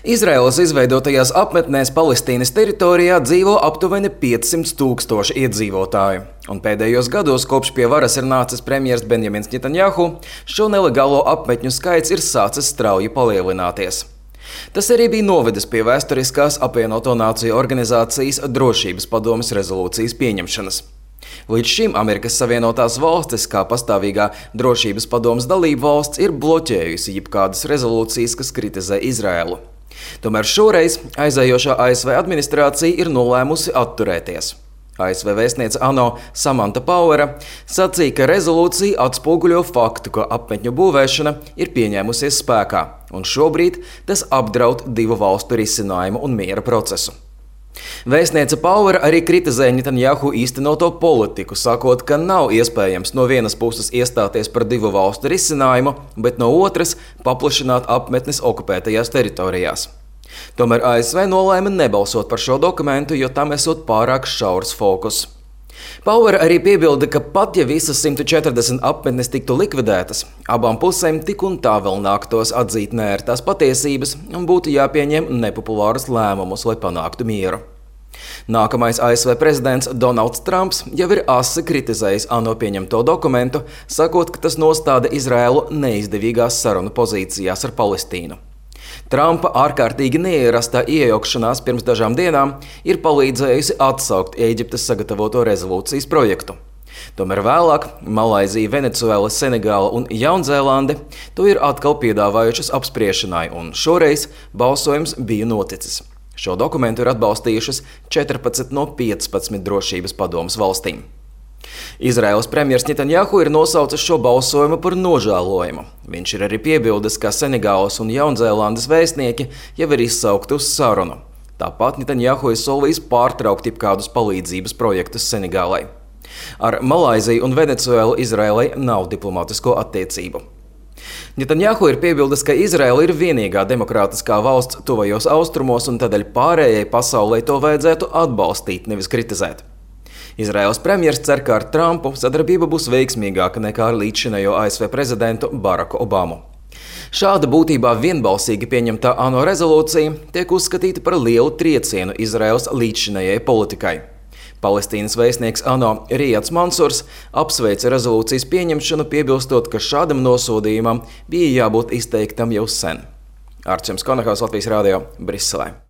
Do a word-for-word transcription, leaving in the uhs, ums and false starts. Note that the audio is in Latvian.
Izraēlas izveidotajās apmetnēs Palestīnas teritorijā dzīvo aptuveni piecsimt tūkstoši iedzīvotāju. Un pēdējos gados, kopš pie varas ir nācis premjers Benjamins Netanjahu, šo nelegālo apmetņu skaits ir sācis strauji palielināties. Tas arī bija novedis pie vēsturiskās apvienoto nāciju organizācijas drošības padomes rezolūcijas pieņemšanas. Līdz šim Amerikas Savienotās valstis, kā pastāvīgā drošības padomes dalība valsts, ir bloķējusi jebkādas rezolūcijas, kas kritizē Izraēlu. Tomēr šoreiz aizējošā A S V administrācija ir nolēmusi atturēties. A S V vēstniece ANO Samanta Powera sacīja, ka rezolūcija atspoguļo faktu, ka apmetņu būvēšana ir pieņēmusies spēkā, un šobrīd tas apdraud divu valstu risinājumu un miera procesu. Vēstniece Powera arī kritizēja Netanjahu īstenoto politiku, sakot, ka nav iespējams no vienas puses iestāties par divu valstu risinājumu, bet no otras paplašināt apmetnes okupētajās teritorijās. Tomēr A S V nolēma nebalsot par šo dokumentu, jo tam esot pārāk šaurs fokus. Powera arī piebilda, ka pat ja visas simt četrdesmit apmetnes tiktu likvidētas, abām pusēm tik un tā vēl nāktos atzīt neērtās patiesības un būtu jāpieņem nepopulārus lēmumus, lai panāktu mieru. Nākamais A S V prezidents Donalds Trumps jau ir asi kritizējis ANO pieņemto dokumentu, sakot, ka tas nostāda Izraēlu neizdevīgās sarunu pozīcijās ar Palestīnu. Trumpa ārkārtīgi neierastā iejaukšanās pirms dažām dienām ir palīdzējusi atsaukt Ēģiptes sagatavoto rezolūcijas projektu. Tomēr vēlāk Malaizija, Venecuēla, Senegāla un Jaunzēlande to ir atkal piedāvājušas apspriešanai, un šoreiz balsojums bija noticis. Šo dokumentu ir atbalstījušas četrpadsmit no piecpadsmit drošības padomes valstīm. Izraēlas premjers Netanjahu ir nosaucis šo balsojumu par nožēlojumu. Viņš ir arī piebildis, ka Senegālas un Jaunzēlandes vēstnieki jau ir izsaukti uz sarunu. Tāpat Netanjahu ir solījis pārtraukt jebkādus palīdzības projektus Senegālai. Ar Malaiziju un Venecuēlu Izraēlai nav diplomātisko attiecību. Netanjahu ir piebildis, ka Izraēla ir vienīgā demokrātiskā valsts tuvajos austrumos, un tādēļ pārējai pasaulē to vajadzētu atbalstīt, nevis kritizēt. Izraēlas premjers cer, ka ar Trumpu sadarbība būs veiksmīgāka nekā ar līdzšinējo A S V prezidentu Baraku Obamu. Šāda būtībā vienbalsīgi pieņemtā ANO rezolūcija tiek uzskatīta par lielu triecienu Izraēlas līdzšinējai politikai. Palestīnas vēstnieks ANO Rijads Mansurs apsveica rezolūcijas pieņemšanu, piebilstot, ka šādam nosodījumam bija jābūt izteiktam jau sen. Arčuns Konahaus, Latvijas radio, Briselē.